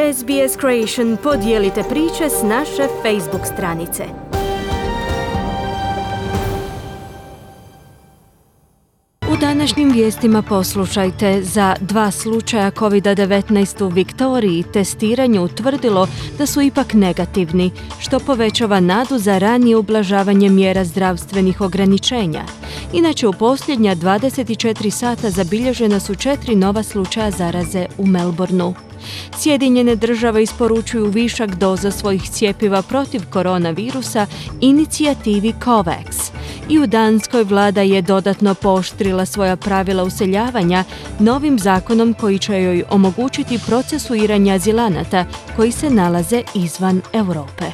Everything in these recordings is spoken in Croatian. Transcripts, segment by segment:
SBS Creation, podijelite priče s naše Facebook stranice. U današnjim vijestima poslušajte: za 2 slučaja COVID-19 u Viktoriji testiranje utvrdilo da su ipak negativni, što povećava nadu za ranije ublažavanje mjera zdravstvenih ograničenja. Inače, u posljednja 24 sata zabilježena su 4 nova slučaja zaraze u Melbourneu. Sjedinjene države isporučuju višak doza svojih cjepiva protiv koronavirusa inicijativi COVAX. I u Danskoj vlada je dodatno pooštrila svoja pravila useljavanja novim zakonom koji će joj omogućiti procesuiranje azilanata koji se nalaze izvan Europe.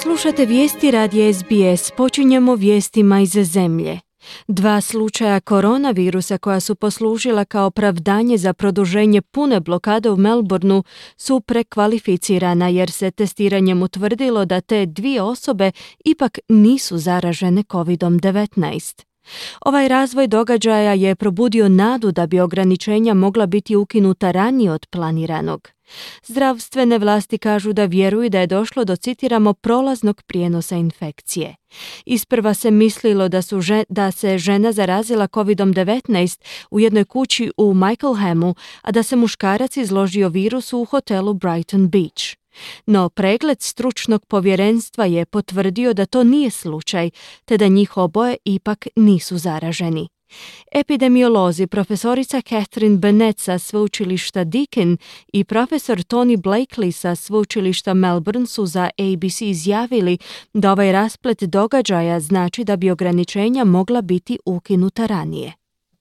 Slušate vijesti radija SBS. Počinjemo vijestima iz zemlje. 2 slučaja koronavirusa koja su poslužila kao opravdanje za produženje pune blokade u Melbourneu su prekvalificirana jer se testiranjem utvrdilo da te 2 osobe ipak nisu zaražene COVID-19. Ovaj razvoj događaja je probudio nadu da bi ograničenja mogla biti ukinuta ranije od planiranog. Zdravstvene vlasti kažu da vjeruju da je došlo do, citiramo, prolaznog prijenosa infekcije. Isprva se mislilo da se žena zarazila COVID-19 u jednoj kući u Michaelhamu, a da se muškarac izložio virusu u hotelu Brighton Beach. No pregled stručnog povjerenstva je potvrdio da to nije slučaj, te da njih oboje ipak nisu zaraženi. Epidemiolozi profesorica Catherine Bennett sa sveučilišta Deakin i profesor Tony Blakely sa sveučilišta Melbourne su za ABC izjavili da ovaj rasplet događaja znači da bi ograničenja mogla biti ukinuta ranije.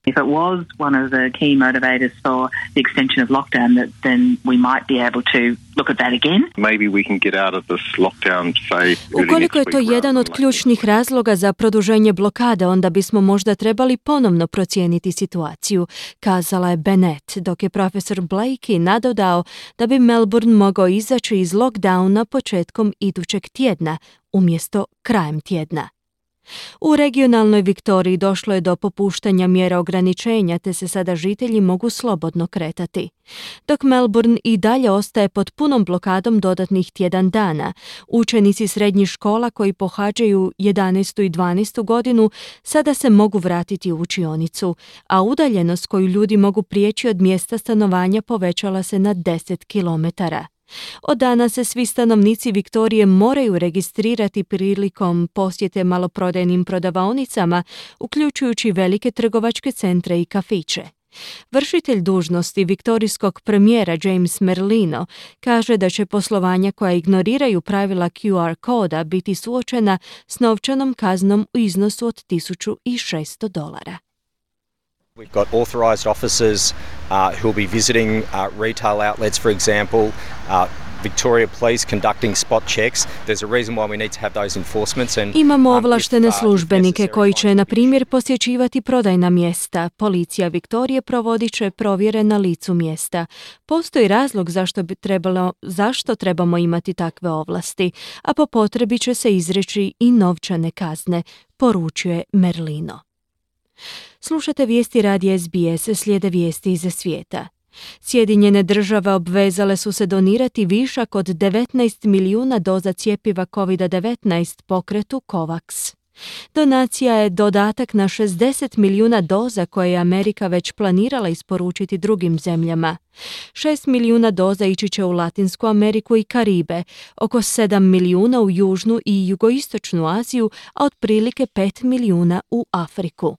If it was one of the key motivators for the extension of lockdown, then we might be able to look at that again. Maybe we can get out of this lockdown, say, ukoliko je to jedan od ključnih razloga za produženje blokade, onda bismo možda trebali ponovno procijeniti situaciju, kazala je Bennett, dok je profesor Blakey nadodao da bi Melbourne mogao izaći iz lockdowna početkom idućeg tjedna, umjesto krajem tjedna. U regionalnoj Viktoriji došlo je do popuštanja mjera ograničenja, te se sada žitelji mogu slobodno kretati. Dok Melbourne i dalje ostaje pod punom blokadom dodatnih tjedan dana, učenici srednjih škola koji pohađaju 11. i 12. godinu sada se mogu vratiti u učionicu, a udaljenost koju ljudi mogu prijeći od mjesta stanovanja povećala se na 10 kilometara. Od danas se svi stanovnici Viktorije moraju registrirati prilikom posjete maloprodajnim prodavaonicama, uključujući velike trgovačke centre i kafiće. Vršitelj dužnosti viktorijskog premijera James Merlino kaže da će poslovanja koja ignoriraju pravila QR koda biti suočena s novčanom kaznom u iznosu od $1,600. We've got authorised officers who will be visiting retail outlets, for example, Victoria Police conducting spot checks. There's a reason why we need to have those enforcements. Imamo ovlaštene službenike koji će, na primjer, posjećivati prodajna mjesta. Policija Viktorije provodit će provjere na licu mjesta. Postoji razlog zašto trebamo imati takve ovlasti, a po potrebi će se izreći i novčane kazne, poručuje Merlino. Slušate vijesti radija SBS, slijede vijesti iz svijeta. Sjedinjene države obvezale su se donirati višak od 19 milijuna doza cjepiva COVID-19 pokretu COVAX. Donacija je dodatak na 60 milijuna doza koje je Amerika već planirala isporučiti drugim zemljama. 6 milijuna doza ići će u Latinsku Ameriku i Karibe, oko 7 milijuna u Južnu i Jugoistočnu Aziju, a otprilike 5 milijuna u Afriku.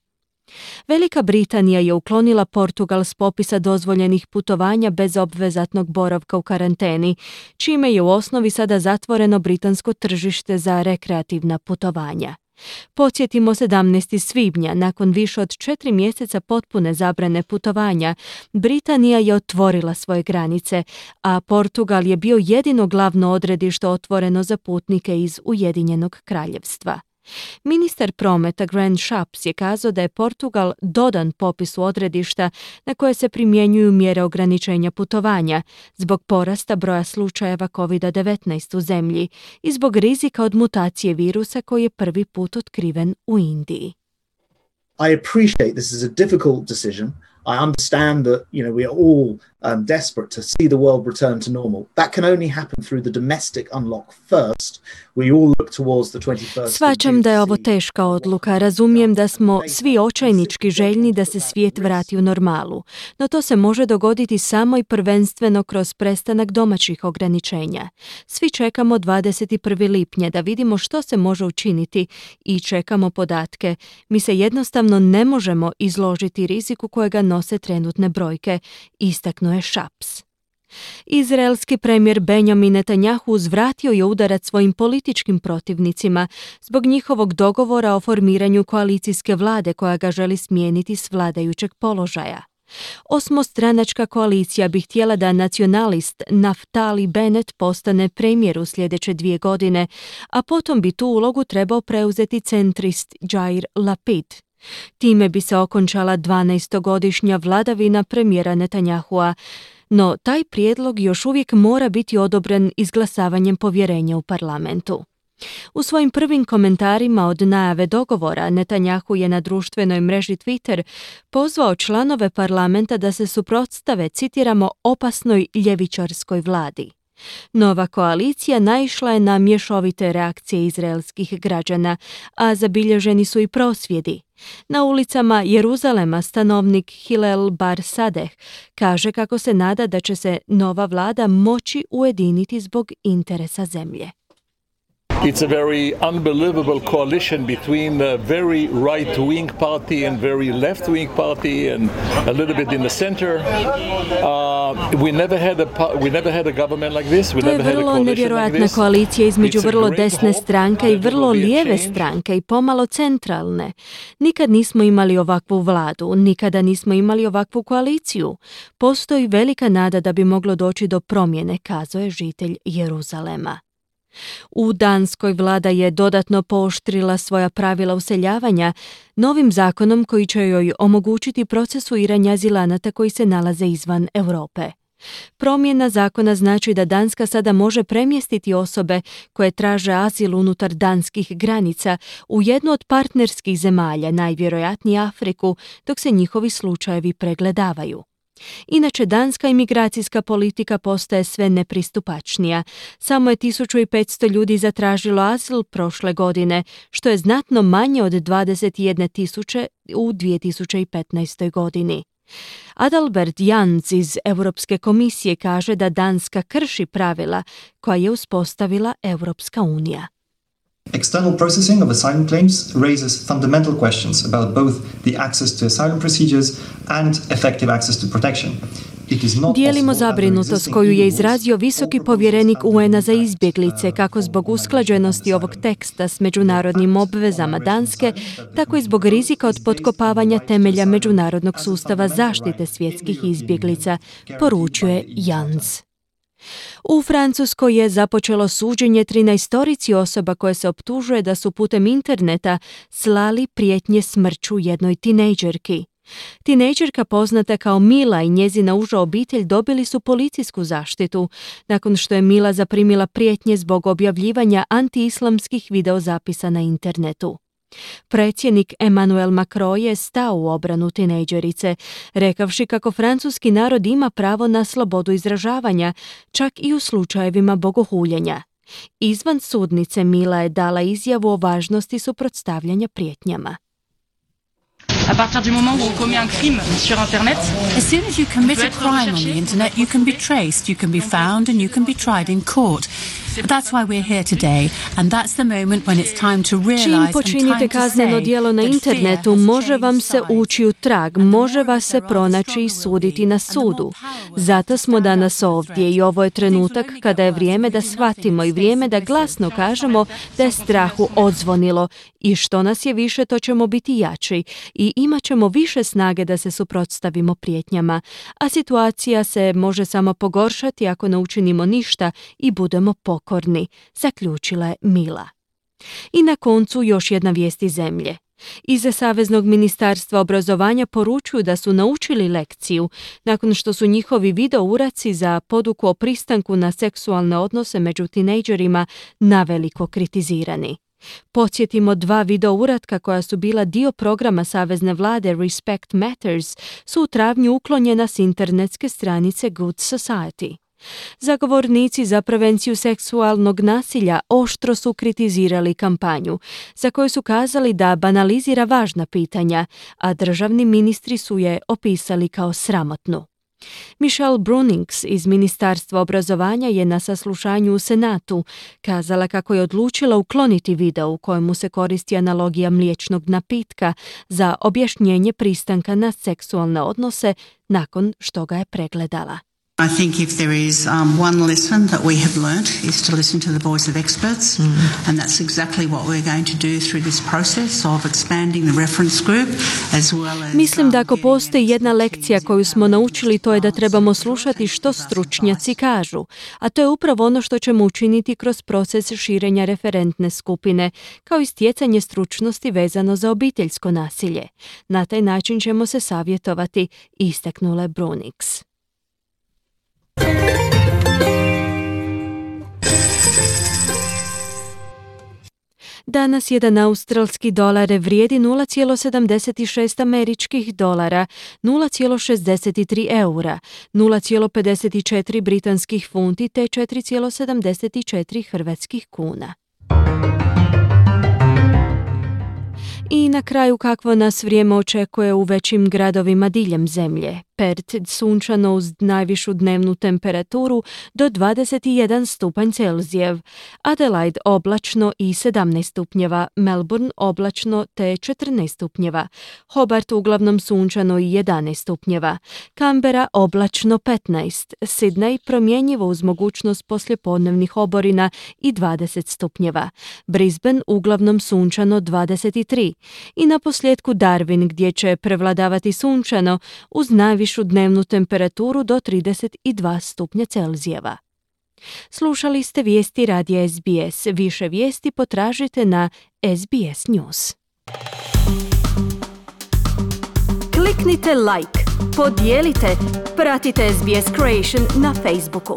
Velika Britanija je uklonila Portugal s popisa dozvoljenih putovanja bez obvezatnog boravka u karanteni, čime je u osnovi sada zatvoreno britansko tržište za rekreativna putovanja. Podsjetimo 17. svibnja, nakon više od 4 mjeseca potpune zabrane putovanja, Britanija je otvorila svoje granice, a Portugal je bio jedino glavno odredište otvoreno za putnike iz Ujedinjenog kraljevstva. Ministar prometa Grant Shapps je kazao da je Portugal dodan popisu odredišta na koje se primjenjuju mjere ograničenja putovanja zbog porasta broja slučajeva COVID-19 u zemlji i zbog rizika od mutacije virusa koji je prvi put otkriven u Indiji. I appreciate this is a difficult decision. I understand that, we are all desperate to see the world return to normal. That can only happen through the domestic unlock first. We all look towards the 21st. Shvaćam da je ovo teška odluka. Razumijem da smo svi očajnički željni da se svijet vrati u normalu. No to se može dogoditi samo i prvenstveno kroz prestanak domaćih ograničenja. Svi čekamo 21. lipnja da vidimo što se može učiniti i čekamo podatke. Mi se jednostavno ne možemo izložiti riziku kojega nose trenutne brojke, istaknuo je Šaps. Izraelski premijer Benjamin Netanjahu uzvratio je udarac svojim političkim protivnicima zbog njihovog dogovora o formiranju koalicijske vlade koja ga želi smijeniti s vladajućeg položaja. Osmostranačka koalicija bi htjela da nacionalist Naftali Bennett postane premijer u sljedeće 2 godine, a potom bi tu ulogu trebao preuzeti centrist Jair Lapid. Time bi se okončala 12-godišnja vladavina premijera Netanjahua, no taj prijedlog još uvijek mora biti odobren izglasavanjem povjerenja u parlamentu. U svojim prvim komentarima od najave dogovora, Netanjahu je na društvenoj mreži Twitter pozvao članove parlamenta da se suprotstave, citiramo, opasnoj ljevičarskoj vladi. Nova koalicija naišla je na mješovite reakcije izraelskih građana, a zabilježeni su i prosvjedi. Na ulicama Jeruzalema stanovnik Hillel Bar Sadeh kaže kako se nada da će se nova vlada moći ujediniti zbog interesa zemlje. It's a very unbelievable coalition between a very right-wing party and very left-wing party and a little bit in the center. We never had a government like this. To je vrlo nevjerojatna koalicija između vrlo desne stranke i vrlo lijeve stranke i pomalo centralne. Nikad nismo imali ovakvu vladu, nikada nismo imali ovakvu koaliciju. Postoji velika nada da bi moglo doći do promjene, kazao je žitelj Jeruzalema. U Danskoj vlada je dodatno pooštrila svoja pravila useljavanja novim zakonom koji će joj omogućiti procesuiranje azilanata koji se nalaze izvan Europe. Promjena zakona znači da Danska sada može premjestiti osobe koje traže azil unutar danskih granica u jednu od partnerskih zemalja, najvjerojatnije Afriku, dok se njihovi slučajevi pregledavaju. Inače, danska imigracijska politika postaje sve nepristupačnija. Samo je 1500 ljudi zatražilo azil prošle godine, što je znatno manje od 21.000 u 2015. godini. Adalbert Jans iz Europske komisije kaže da Danska krši pravila koja je uspostavila Europska unija. External processing of asylum claims raises fundamental questions about both the access to asylum procedures and effective access to protection. Dijelimo zabrinutost koju je izrazio visoki povjerenik UN-a za izbjeglice, kako zbog usklađenosti ovog teksta s međunarodnim obvezama Danske, tako i zbog rizika od potkopavanja temelja međunarodnog sustava zaštite svjetskih izbjeglica, poručuje Jans. U Francuskoj je započelo suđenje 13 osoba koje se optužuje da su putem interneta slali prijetnje smrću jednoj tinejdžerki. Tinejdžerka poznata kao Mila i njezina uža obitelj dobili su policijsku zaštitu nakon što je Mila zaprimila prijetnje zbog objavljivanja antiislamskih videozapisa na internetu. Predsjednik Emmanuel Macron je stao u obranu tinejdžerice, rekavši kako francuski narod ima pravo na slobodu izražavanja, čak i u slučajevima bogohuljenja. Izvan sudnice Mila je dala izjavu o važnosti suprotstavljanja prijetnjama. À partir du moment où on commet un crime sur internet, as soon as you commit a crime on the internet, you can be traced, you can be found and you can be tried in court. That's why we're here today, and that's the moment when it's time to realize Čim and time počinite to kazneno say djelo na that internetu, fear has može changed vam se sides. ući u trag, može vas se pronaći i suditi na sudu. Zato smo danas ovdje i ovo je trenutak kada je vrijeme da shvatimo i vrijeme da glasno kažemo da je strahu odzvonilo i što nas je više, to ćemo biti jači i imat ćemo više snage da se suprotstavimo prijetnjama, a situacija se može samo pogoršati ako ne učinimo ništa i budemo pokorni, zaključila je Mila. I na koncu još jedna vijest iz zemlje. Iz Saveznog ministarstva obrazovanja poručuju da su naučili lekciju nakon što su njihovi video uraci za poduku o pristanku na seksualne odnose među tinejdžerima naveliko kritizirani. Podsjetimo, 2 video uratka koja su bila dio programa savezne vlade Respect Matters su u travnju uklonjena s internetske stranice Good Society. Zagovornici za prevenciju seksualnog nasilja oštro su kritizirali kampanju, za koju su kazali da banalizira važna pitanja, a državni ministri su je opisali kao sramotnu. Michelle Brunings iz Ministarstva obrazovanja je na saslušanju u Senatu kazala kako je odlučila ukloniti video u kojemu se koristi analogija mliječnog napitka za objašnjenje pristanka na seksualne odnose nakon što ga je pregledala. I think if there is one lesson that we have learnt is to listen to the voice of experts, and that's exactly what we're going to do through this process of expanding the reference group as well as... Mislim da ako postoji jedna lekcija koju smo naučili, to je da trebamo slušati što stručnjaci kažu, a to je upravo ono što ćemo učiniti kroz proces širenja referentne skupine, kao i stjecanje stručnosti vezano za obiteljsko nasilje. Na taj način ćemo se savjetovati, istaknula Brunings. Danas jedan australski dolar vrijedi 0,76 američkih dolara, 0,63 eura, 0,54 britanskih funti te 4,74 hrvatskih kuna. I na kraju kakvo nas vrijeme očekuje u većim gradovima diljem zemlje. Perth sunčano uz najvišu dnevnu temperaturu do 21 stupanj Celzijev, Adelaide oblačno i 17 stupnjeva, Melbourne oblačno te 14 stupnjeva, Hobart uglavnom sunčano i 11 stupnjeva, Canberra oblačno 15, Sydney promjenjivo uz mogućnost poslijepodnevnih oborina i 20 stupnjeva, Brisbane uglavnom sunčano 23 i na posljedku Darwin gdje će prevladavati sunčano uz najvišu dnevnu temperaturu do 32 stupnja Celzijeva. Slušali ste vijesti radija SBS. Više vijesti potražite na SBS News. Kliknite like, podijelite, pratite SBS Creation na Facebooku.